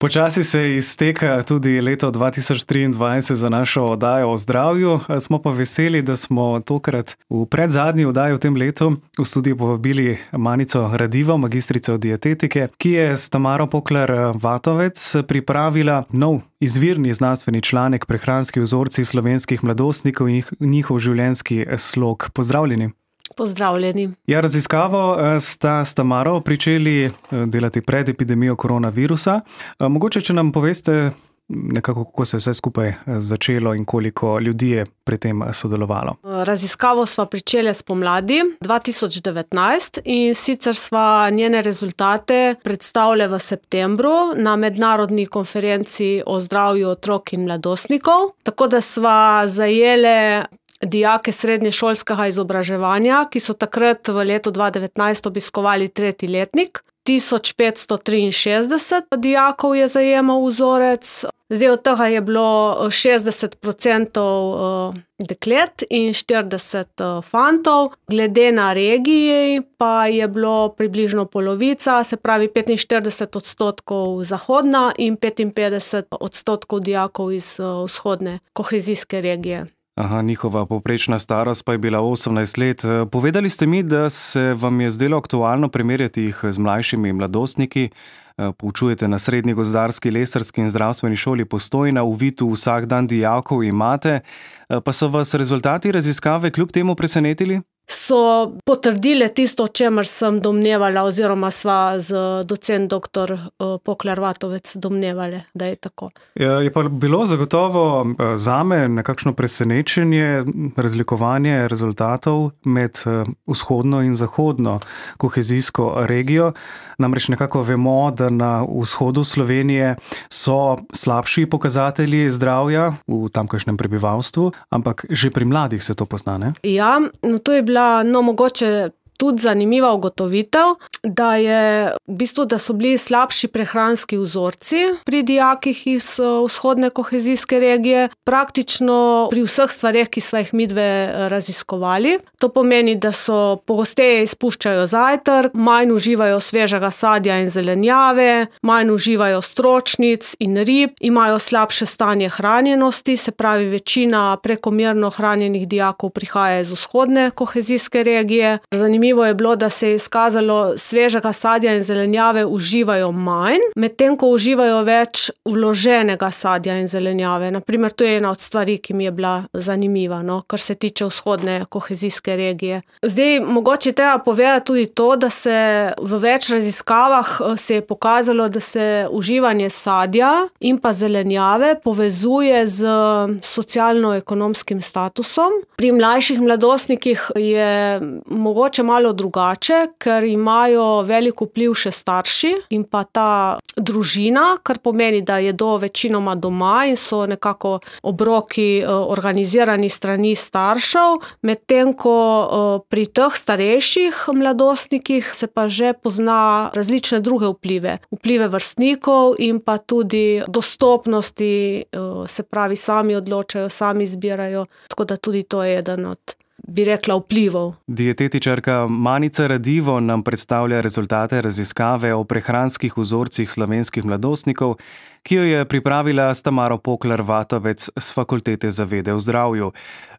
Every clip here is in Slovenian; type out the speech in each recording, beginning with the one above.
Počasi se izteka tudi leto 2023 za našo oddajo o zdravju. Smo pa veseli, da smo tokrat v predzadnji oddaji v tem letu v studiu povabili Manico Radivo, magistrico dietetike, ki je s Tamaro Poklar-Vatovec pripravila nov izvirni znanstveni članek Prehranski vzorci slovenskih mladostnikov in njihov življenjski slog. Pozdravljeni. Pozdravljeni. Ja, raziskavo sta s Tamaro pričeli delati pred epidemijo koronavirusa. Mogoče, če nam poveste nekako, kako se je vse skupaj začelo in koliko ljudi je pri tem sodelovalo. Raziskavo sva pričeli spomladi 2019 in sicer sva njene rezultate predstavili v septembru na mednarodni konferenci o zdravju otrok in mladostnikov. Tako da sva zajele dijake srednješolskega izobraževanja, ki so takrat v letu 2019 obiskovali 3. letnik. 1563 dijakov je zajemal vzorec. Zdaj od tega je bilo 60% deklet in 40 fantov. Glede na regiji pa je bilo približno polovica, se pravi 45% zahodna in 55% dijakov iz vzhodne kohezijske regije. Njihova povprečna starost pa je bila 18 let. Povedali ste mi, da se vam je zdelo aktualno primerjati jih z mlajšimi mladostniki. Poučujete na Srednji gozdarski, lesarski in zdravstveni šoli Postojna, v Vitu vsak dan dijakov imate. Pa so vas rezultati raziskave kljub temu presenetili? So potrdile tisto, o čemer sem domnevala, oziroma sva z docent dr. Poklar-Vatovec domnevali, da je tako. Je pa bilo zagotovo zame nekakšno presenečenje, razlikovanje rezultatov med vzhodno in zahodno kohezijsko regijo. Namreč nekako vemo, da na vzhodu Slovenije so slabši pokazatelji zdravja v tamkajšnjem prebivalstvu, ampak že pri mladih se to pozna, ne? Ja, to je bila mogoče tudi zanimiva ugotovitev, da so bili slabši prehranski vzorci pri dijakih iz vzhodne kohezijske regije, praktično pri vseh stvareh, ki sva jih midve raziskovali. To pomeni, da so pogosteje izpuščajo zajtrk, manj uživajo svežega sadja in zelenjave, manj uživajo stročnic in rib, imajo slabše stanje hranjenosti, se pravi večina prekomerno hranjenih dijakov prihaja iz vzhodne kohezijske regije. Zanimivo je bilo, da se je izkazalo, svežega sadja in zelenjave uživajo manj, medtem ko uživajo več vloženega sadja in zelenjave. Naprimer, to je ena od stvari, ki mi je bila zanimiva, kar se tiče vzhodne kohezijske regije. Zdaj, mogoče treba povedati tudi to, da se v več raziskavah se je pokazalo, da se uživanje sadja in pa zelenjave povezuje z socialno-ekonomskim statusom. Pri mlajših mladostnikih je mogoče malo drugače, ker imajo velik vpliv še starši in pa ta družina, kar pomeni, da jedo večinoma doma in so nekako obroki organizirani strani staršev, medtem ko pri teh starejših mladostnikih se pa že pozna različne druge vplive. Vplive vrstnikov in pa tudi dostopnosti, se pravi sami odločajo, sami izbirajo, tako da tudi to je eden od, bi rekla, vplivov. Dietetičarka Manica Radivo nam predstavlja rezultate raziskave o prehranskih vzorcih slovenskih mladostnikov, ki jo je pripravila s Tamaro Poklar-Vatovec s Fakultete za vede v zdravju.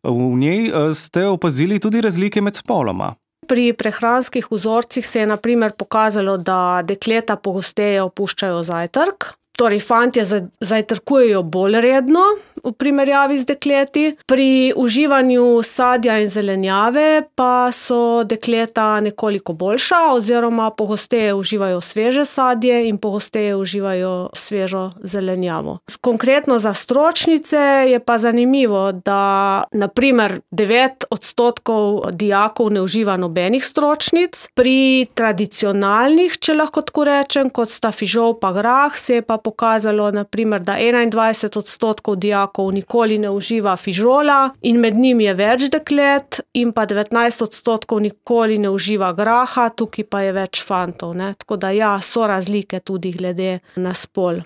V njej ste opazili tudi razlike med spoloma. Pri prehranskih vzorcih se je na primer pokazalo, da dekleta pogosteje opuščajo zajtrk. Torej, fantje zajtrkujejo bolj redno v primerjavi z dekleti. Pri uživanju sadja in zelenjave pa so dekleta nekoliko boljša, oziroma pogosteje uživajo sveže sadje in pogosteje uživajo svežo zelenjavo. Konkretno za stročnice je pa zanimivo, da na primer 9% dijakov ne uživa nobenih stročnic. Pri tradicionalnih, če lahko tako rečem, kot sta fižol pa grah, se je pa pokazalo, na primer, da 21% dijakov nikoli ne uživa fižola in med njim je več deklet, in pa 19% nikoli ne uživa graha, tukaj pa je več fantov, ne? Tako da ja, so razlike tudi glede na spol.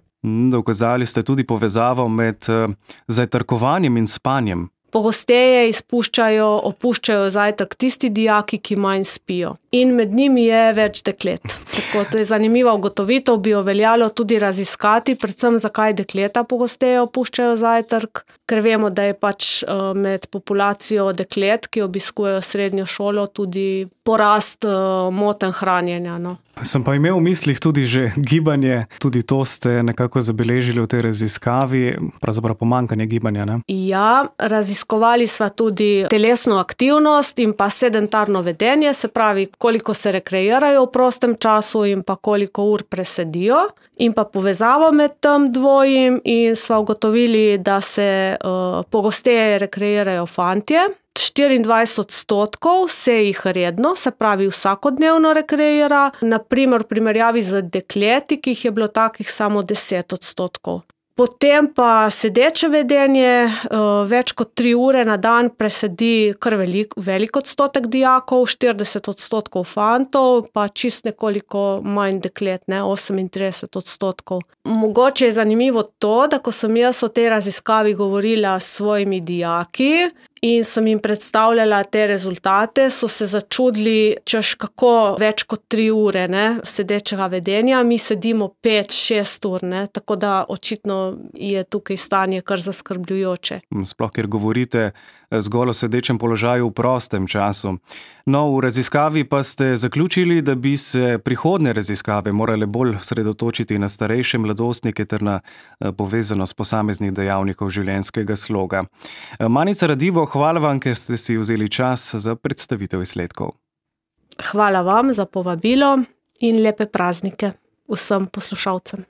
Dokazali ste tudi povezavo med zajtrkovanjem in spanjem. pogosteje opuščajo zajtrk tisti dijaki, ki manj spijo. In med njimi je več deklet. Tako, to je zanimiva ugotovitev, bi jo veljalo tudi raziskati, predvsem zakaj dekleta pogosteje opuščajo zajtrk, ker vemo, da je med populacijo deklet, ki obiskujejo srednjo šolo, tudi porast motenj hranjenja. No. Sem pa imel v mislih tudi že gibanje, tudi to ste nekako zabeležili v tej raziskavi, pravzaprav pomanjkanje gibanja, ne? Ja, raziskovali sva tudi telesno aktivnost in pa sedentarno vedenje, se pravi, koliko se rekreirajo v prostem času in pa koliko ur presedijo. In pa povezavo med tem dvojim in sva ugotovili, da se pogosteje rekreirajo fantje. 24% se jih redno, se pravi vsakodnevno rekreira, na primer v primerjavi z dekleti, ki jih je bilo takih samo 10%. Potem pa sedeče vedenje, več kot 3 ure na dan presedi kar velik odstotek dijakov, 40% fantov, pa čist nekoliko manj deklet, 38%. Mogoče je zanimivo to, da ko sem jaz o tej raziskavi govorila s svojimi dijaki in sem jim predstavljala te rezultate, so se začudili, češ kako več kot 3 ure sedečega vedenja, mi sedimo 5-6 ur, tako da očitno je tukaj stanje kar zaskrbljujoče. Sploh, ker govorite zgolj o sedečem položaju v prostem času. No, v raziskavi pa ste zaključili, da bi se prihodnje raziskave morale bolj sredotočiti na starejše mladostnike ter na povezanost posameznih dejavnikov življenjskega sloga. Manica Radivo, hvala vam, ker ste si vzeli čas za predstavitev izsledkov. Hvala vam za povabilo in lepe praznike vsem poslušalcem.